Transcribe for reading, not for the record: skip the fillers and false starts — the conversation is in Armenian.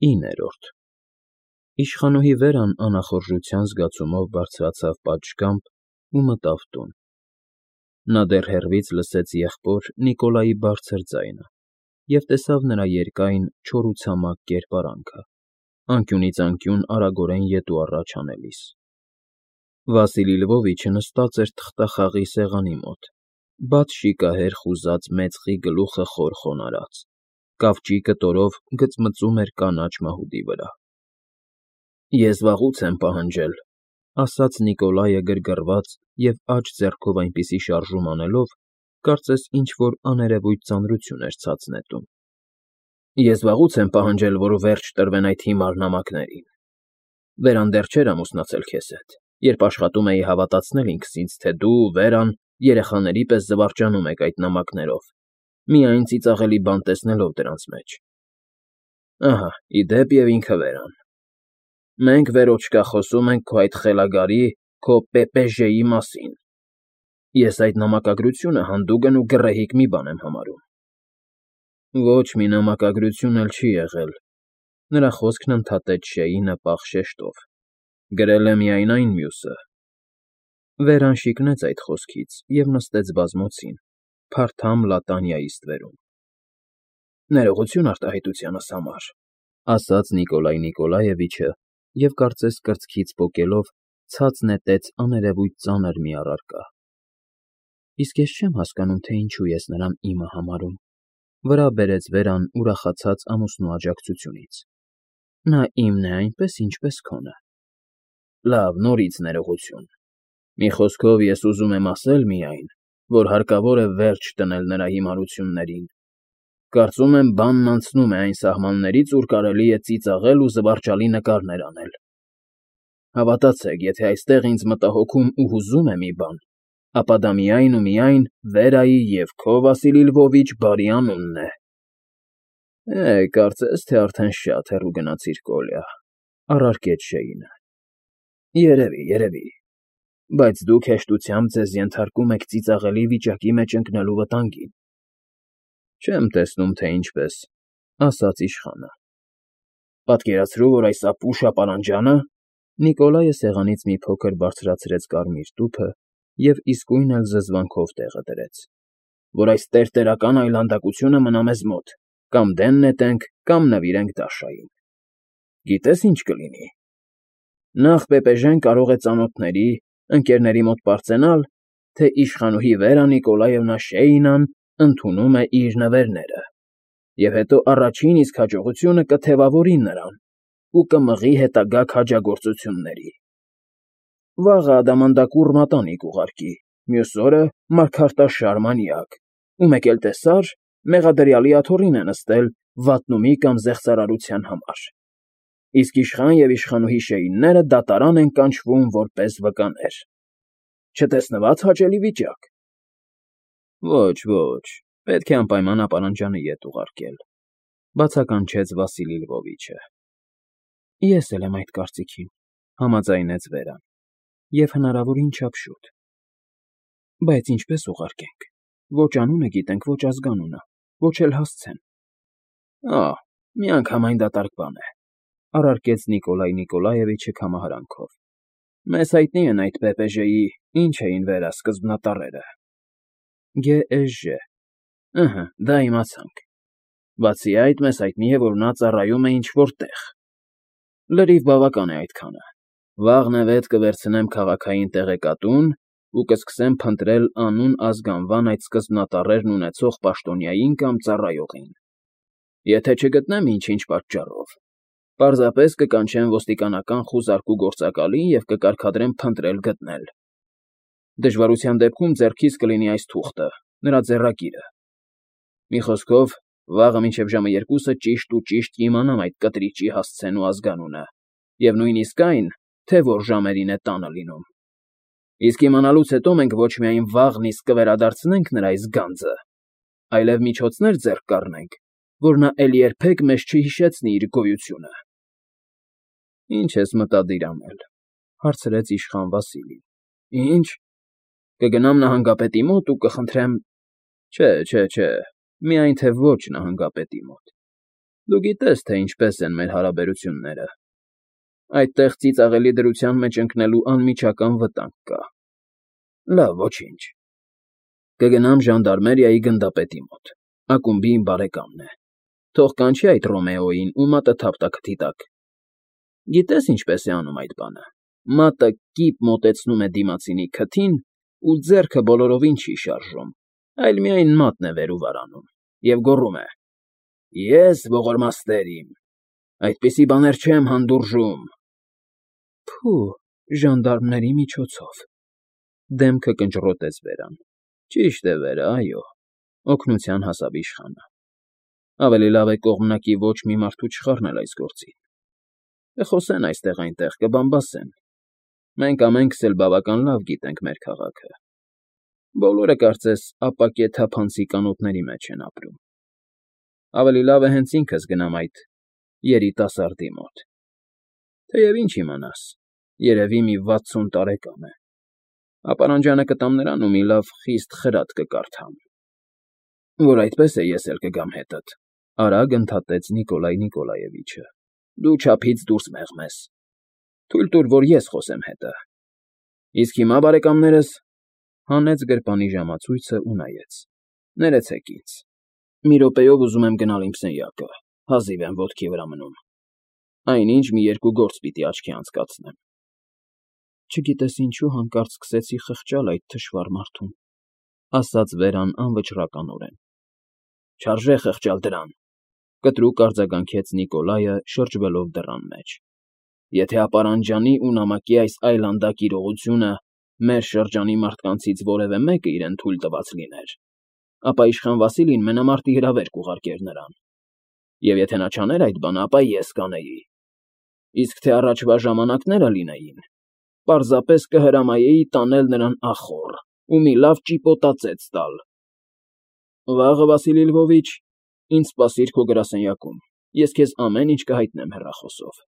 9-րդ Իշխանուհի Վերան անախորժության զգացումով բարձրացավ պատշգամբ ու մտավ տուն։ Նա դեռ հեռվից լսեց եղբոր Նիկոլայի բարձր ձայնը և տեսավ նրա երկայն, չորացամակ կերպարանքը, անկյունից անկյուն արագորեն ետ ու առաջ անելիս։ Վասիլի Լվովիչը նստած էր թղթախաղի սեղանի մոտ, բաց շիկահեր խուզած մեծղի գլուխը խոր խոնարհած, կավճի կտորով գծմծում էր կանաչ մահուդի վրա։ Ես վաղուց եմ պահանջել, ասաց Նիկոլայը գրգռված և աջ ձեռքով այնպիսի շարժում անելով, կարծես ինչ֊որ աներևույթ ծանրություն էր ցած նետում։ Ես վաղուց եմ պահանջել, որ վերջ տրվեն այդ հիմար նամակներին։ Վերան դեռ չէր ամուսնացել քեզ հետ, երբ աշխատում էի հավատացնել ինքս ինձ, թե դու, Վերան, երեխաների պես զվարճանում եք այդ նամակներով, միայն ծիծաղելի բան տեսնելով դրանց մեջ։ Ահա, ի դեպ և ինքը Վերան։ Մենք, Վերոչկա, խոսում ենք քո այդ խելագարի, քո ՊՊԺ-ի մասին։ Ես այդ նամակագրությունը հանդուգն ու գռեհիկ մի բան եմ համարում։ Ոչ մի նամակագրություն էլ չի եղել, նրա խոսքն ընդհատեց Շեյնը պաղ շեշտով։ Գրել է միայն այն մյուսը։ Վերան շիկնեց այդ խոսքից և նստեց բազմոցին, փարթամ լատանիայի ստվերում։ Ներողություն արտահայտությանս համար, ասաց Նիկոլայ Նիկոլաևիչը և կարծես կրծքից պոկելով ցած նետեց աներևույթ ծանր մի առարկա։ Իսկ ես չեմ հասկանում, թե ինչու ես նրան իմը համարում, վրա բերեց Վերան ուրախացած ամուսնու աջակցությունից։ Նա իմն է այնպես, ինչպես քոնը։ Լավ, նորից ներողություն։ Մի խոսքով, ես ուզում եմ ասել միայն, որ հարկավոր է վերջ տնել նրա հիմարություններին։ Կարծում եմ, բանն անցնում է այն սահմաններից, ուր կարելի է ծիծաղել ու զվարճալի նկարներ անել։ Հավատացեք, եթե այստեղ ինձ մտահոգում ու հուզում է մի բան, ապա դա միայն ու միայն Վերայի և քո Վասիլի Լվովիչ բարի անունն է։ Կարծես թե արդեն շատ հեռու գնացիր, Կոլյա, առարկեց Շեյնը։ Երևի, բայց դուք հեշտությամբ ձեզ ենթարկում եք ծիծաղելի վիճակի մեջ ընկնելու վտանգին։ Չեմ տեսնում, թե ինչպես, ասաց իշխանը։ Պատկերացրու, որ այս ապուշ ապարանջանը… Նիկոլայը սեղանից մի փոքր բարձրացրեց կարմիր տուփը և իսկույն էլ զզվանքով տեղը դրեց, որ այս տերտերական այլանդակությունը մնա մեզ մոտ, կամ դեն նետենք, կամ նվիրենք Դաշային։ Գիտես ինչ կլինի։ Նախ ՊՊԺ-ն կարող է ծանոթների, ընկերների մոտ պարծենալ, թե իշխանուհի Վերա Նիկոլաևնա Շեյնան ընդունում է իր նվերները, և հետո առաջին իսկ հաջողությունը կթևավորի նրան ու կմղի հետագա քաջագործությունների։ Վաղը ադամանդակուռ մատանի կուղարկի, մյուս օրը մարգարտաշար մանյակ, ու մեկ էլ տեսար, մեղադրյալի աթոռին է նստել վատնումի կամ զեղծարարության համար, իսկ իշխան և իշխանուհի Շեյնները դատարան են կանչվում որպես վկաներ։ Չտեսնվա՞ծ հաճելի վիճակ։ Ոչ, պետք է անպայման ապարանջանը ետ ուղարկել, բացականչեց Վասիլի Լվովիչը։ Ես էլ եմ այդ կարծիքին, համաձայնեց Վերան, և հնարավորին չափ շուտ։ Բայց ինչպես ուղարկենք։ Ոչ անունը գիտենք, ոչ ազգանունը, ոչ էլ հասցեն։ Միանգամայն դատարկ բան է, առարկեց Նիկոլայ Նիկոլաևիչը քամահարանքով։ Մեզ հայտնի են այդ ՊՊԺ-ի ինչ էին Վերա սկզբնատառերը։ ԳԷԺ։ Դա իմացանք։ Բացի այդ, մեզ հայտնի է, որ նա ծառայում է ինչ֊որ տեղ։ Լրիվ բավական է այդքանը։ Վաղն կվերցնեմ քաղաքային տեղեկատուն ու կսկսեմ փնտրել անուն ազգանվան այդ սկզբնատառերն ունեցող պաշտոնյային կամ ծառայողին։ Եթե չգտնեմ ինչ-ինչ պատճառով, պարզապես կկանչեմ ոստիկանական խուզարկու գործակալին և կկարգադրեմ փնտրել գտնել։ Դժվարության դեպքում ձեռքիս կլինի այս թուղթը, նրա ձեռակիրը։ Մի խոսքով, վաղը մինչև ժամը 2-ը ճիշտ ու ճիշտ կիմանամ այդ կտրիճի հասցեն ու ազգանունը, և նույնիսկ այն, թե որ ժամերին է տանը լինում։ Իսկ իմանալուց հետո մենք ոչ միայն վաղն իսկ կվերադարձնենք նրա այս գանձը, այլև միջոցներ ձեռք կառնենք, որ նա էլ երբեք մեզ չհիշեցնի իր գոյությունը։ Ինչ ես մտադիր անել, հարցրեց իշխան Վասիլին։ Ինչ։ Կգնամ նահանգապետի մոտ ու կխնդրեմ… Չէ, միայն թե ոչ նահանգապետի մոտ։ Դու գիտես, թե ինչպես են մեր հարաբերությունները։ Այդտեղ ծիծաղելի դրության մեջ ընկնելու անմիջական վտանգ կա։ Լավ, ոչինչ։ Կգնամ ժանդարմերիայի գնդապետի մոտ։ Ակումբի իմ բարեկամն է։ Թող կանչի այդ Ռոմեոյին ու մատը թափ տա քթի տակ։ Գիտես ինչպես է անում այդ բանը։ Մատը կիպ մոտեցնում է դիմացինի քթին ու ձեռքը բոլորովին չի շարժում, այլ միայն մատն է վեր ու վար անում և գոռում է. «Ես ողորմաստեր իմ, այդպիսի բաներ չեմ հանդուրժում»։ Փո՜ւ, ժանդարմների միջոցով։ Դեմքը կնճռոտեց Վերան։ Ճիշտ է, Վերա, այո, օգնության հասավ իշխանը։ Ավելի լավ է կողմնակի ոչ մի մարդու չխառնել այս գործին։ Կխոսեն այստեղ-այնտեղ, կբամբասեն։ Մենք ամենքս էլ բավական լավ գիտենք մեր քաղաքը։ Բոլորը, կարծես, ապակե թափանցիկ անոթների մեջ են ապրում։ Ավելի լավ է հենց ինքս գնամ այդ երիտասարդի մոտ։ Թեև ինչ իմանաս, երևի մի 60 տարեկան է։ Ապարանջանը կտամ նրան ու մի լավ խիստ խրատ կկարդամ։ Որ այդպես է, ես էլ կգամ հետդ, արագ ընդհատեց Նիկոլայ Նիկոլաևիչը։ Դու չափից դուրս մեղմես։ Թույլ տուր, որ ես խոսեմ հետը։ Իսկ հիմա, բարեկամներս, հանեց գրպանի ժամացույցը ու նայեց։ Ներեցեք ինձ։ Մի րոպեով ուզում եմ գնալ իմ սենյակը, հազիվ եմ ոտքի վրա մնում։ Այնինչ մի երկու գործ պիտի աչքի անցկացնեմ։ Չգիտես ինչու հանկարծ սկսեցի խղճալ այդ թշվառ մարդուն, ասաց Վերան անվճռականորեն։ Չարժե խղճալ դրան, կտրուկ արձագանքեց Նիկոլայը, շրջվելով դռան մեջ։ Եթե ապարանջանի ու նամակի այս այլանդակ իրողությունը մեր շրջանի մարդկանցից որևէ մեկը իրեն թույլ տված լիներ, ապա իշխան Վասիլին մենամարտի հրավեր կուղարկեր նրան։ Եվ եթե նա չաներ այդ բանը, ապա ես կանեի։ Իսկ թե առաջվա ժամանակները լինեին, պարզապես կհրամայեի տանել նրան ախոռ ու մի լավ ճիպոտածեց տալ։ Վաղը, Վասիլի Լվովիչ, ինձ սպասիր քո գրասենյակում, ես քեզ ամեն ինչ կհայտնեմ հեռախոսով։